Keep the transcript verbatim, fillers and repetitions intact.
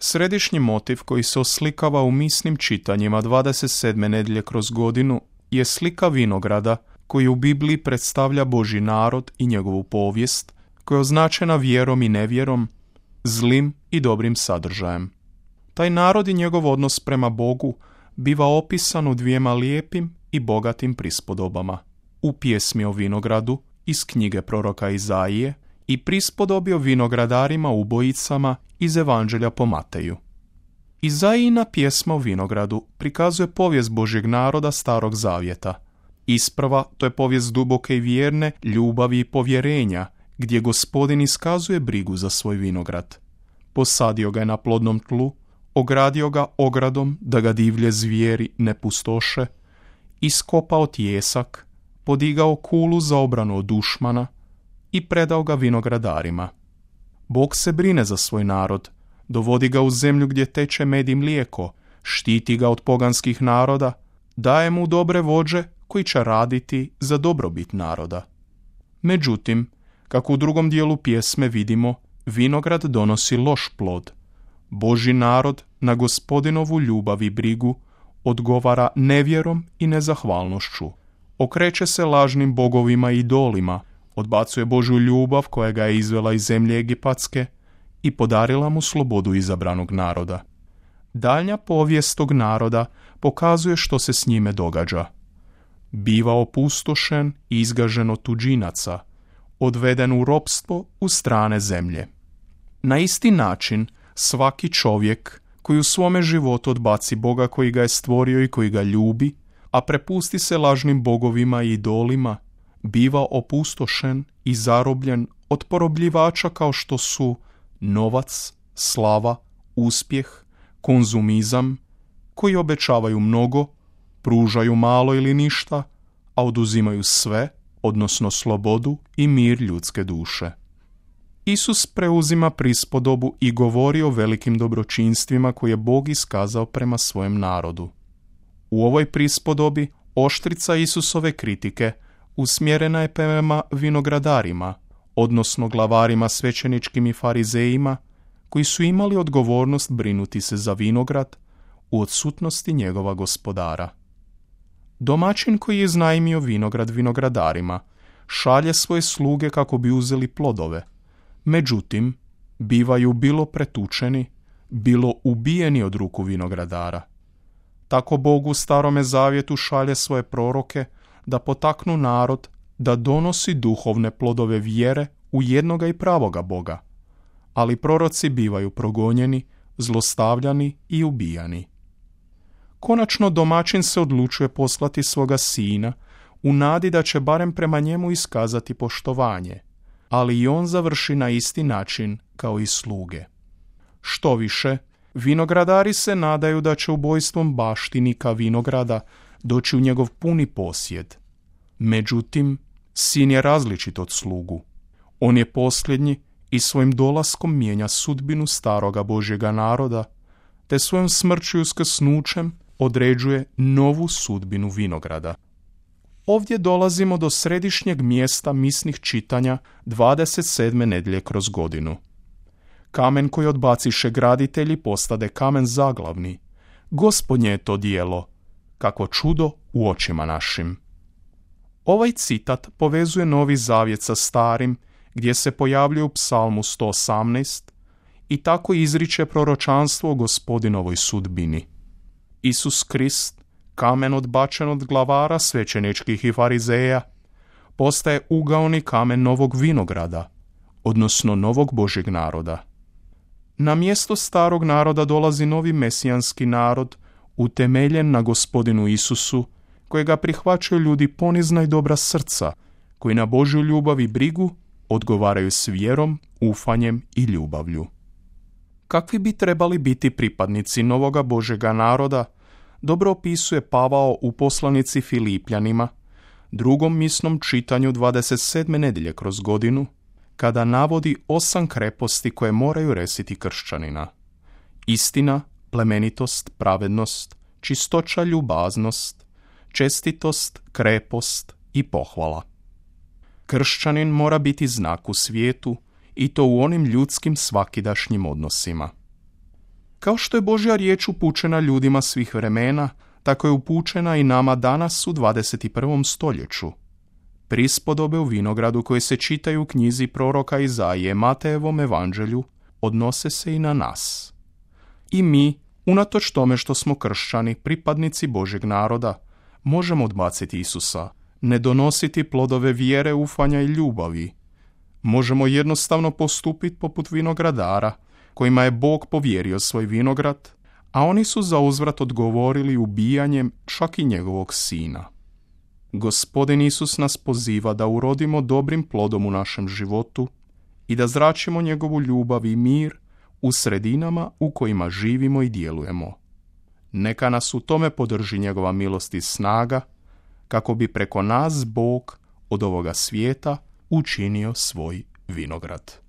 Središnji motiv koji se oslikava u misnim čitanjima dvadeset sedme nedjelje kroz godinu je slika vinograda koji u Bibliji predstavlja Božji narod i njegovu povijest, koja je označena vjerom i nevjerom, zlim i dobrim sadržajem. Taj narod i njegov odnos prema Bogu biva opisan u dvijema lijepim i bogatim prispodobama. U pjesmi o vinogradu iz knjige proroka Izaije i prispodobi o vinogradarima ubojicama iz Evanđelja po Mateju. Izaijina pjesma o vinogradu prikazuje povijest Božjeg naroda Starog Zavjeta. Isprva, to je povijest duboke i vjerne ljubavi i povjerenja, gdje Gospodin iskazuje brigu za svoj vinograd. Posadio ga je na plodnom tlu, ogradio ga ogradom da ga divlje zvijeri ne pustoše, iskopao tijesak, podigao kulu za obranu od dušmana i predao ga vinogradarima. Bog se brine za svoj narod, dovodi ga u zemlju gdje teče med i mlijeko, štiti ga od poganskih naroda, daje mu dobre vođe koji će raditi za dobrobit naroda. Međutim, kako u drugom dijelu pjesme vidimo, vinograd donosi loš plod. Božji narod na Gospodinovu ljubav i brigu odgovara nevjerom i nezahvalnošću. Okreće se lažnim bogovima i idolima, odbacuje Božju ljubav koja ga je izvela iz zemlje Egipatske i podarila mu slobodu izabranog naroda. Daljnja povijest tog naroda pokazuje što se s njime događa. Biva opustošen i izgažen od tuđinaca, odveden u ropstvo u strane zemlje. Na isti način svaki čovjek koji u svome životu odbaci Boga koji ga je stvorio i koji ga ljubi, a prepusti se lažnim bogovima i idolima, biva opustošen i zarobljen od porobljivača kao što su novac, slava, uspjeh, konzumizam, koji obećavaju mnogo, pružaju malo ili ništa, a oduzimaju sve, odnosno slobodu i mir ljudske duše. Isus preuzima prispodobu i govori o velikim dobročinstvima koje je Bog iskazao prema svojem narodu. U ovoj prispodobi oštrica Isusove kritike usmjerena je prema vinogradarima, odnosno glavarima svećeničkim i farizejima, koji su imali odgovornost brinuti se za vinograd u odsutnosti njegova gospodara. Domaćin koji je iznajmio vinograd vinogradarima šalje svoje sluge kako bi uzeli plodove, međutim, bivaju bilo pretučeni, bilo ubijeni od ruku vinogradara. Tako Bog u Starome Zavjetu šalje svoje proroke da potaknu narod da donosi duhovne plodove vjere u jednoga i pravoga Boga, ali proroci bivaju progonjeni, zlostavljani i ubijani. Konačno domaćin se odlučuje poslati svoga sina u nadi da će barem prema njemu iskazati poštovanje, ali i on završi na isti način kao i sluge. Što više, vinogradari se nadaju da će ubojstvom baštinika vinograda doći u njegov puni posjed. Međutim, sin je različit od slugu. On je posljednji i svojim dolaskom mijenja sudbinu staroga Božjega naroda, te svojom smrću i uskrsnućem određuje novu sudbinu vinograda. Ovdje dolazimo do središnjeg mjesta misnih čitanja dvadeset sedme nedjelje kroz godinu. Kamen koji odbaciše graditelji postade kamen zaglavni. Gospodnje je to djelo, kako čudo u očima našim. Ovaj citat povezuje Novi Zavjet sa Starim, gdje se pojavljuje u Psalmu sto osamnaest i tako izriče proročanstvo o Gospodinovoj sudbini. Isus Krist, kamen odbačen od glavara svećeničkih i farizeja, postaje ugaoni kamen novog vinograda, odnosno novog Božjeg naroda. Na mjesto starog naroda dolazi novi mesijanski narod, utemeljen na Gospodinu Isusu, kojega prihvaćaju ljudi ponizna i dobra srca, koji na Božju ljubav i brigu odgovaraju s vjerom, ufanjem i ljubavlju. Kakvi bi trebali biti pripadnici novoga Božjega naroda, dobro opisuje Pavao u poslanici Filipljanima, drugom misnom čitanju dvadeset sedme nedjelje kroz godinu, kada navodi osam kreposti koje moraju resiti kršćanina. Istina, plemenitost, pravednost, čistoća, ljubaznost, čestitost, krepost i pohvala. Kršćanin mora biti znak u svijetu i to u onim ljudskim svakidašnjim odnosima. Kao što je Božja riječ upućena ljudima svih vremena, tako je upućena i nama danas u dvadeset prvom stoljeću. Prispodobe u vinogradu koje se čitaju u knjizi proroka Izaije, Matejevom evanđelju, odnose se i na nas. I mi, unatoč tome što smo kršćani, pripadnici Božjeg naroda, možemo odbaciti Isusa, ne donositi plodove vjere, ufanja i ljubavi. Možemo jednostavno postupiti poput vinogradara, kojima je Bog povjerio svoj vinograd, a oni su za uzvrat odgovorili ubijanjem čak i njegovog sina. Gospodin Isus nas poziva da urodimo dobrim plodom u našem životu i da zračimo njegovu ljubav i mir u sredinama u kojima živimo i djelujemo. Neka nas u tome podrži njegova milost i snaga, kako bi preko nas Bog od ovoga svijeta učinio svoj vinograd.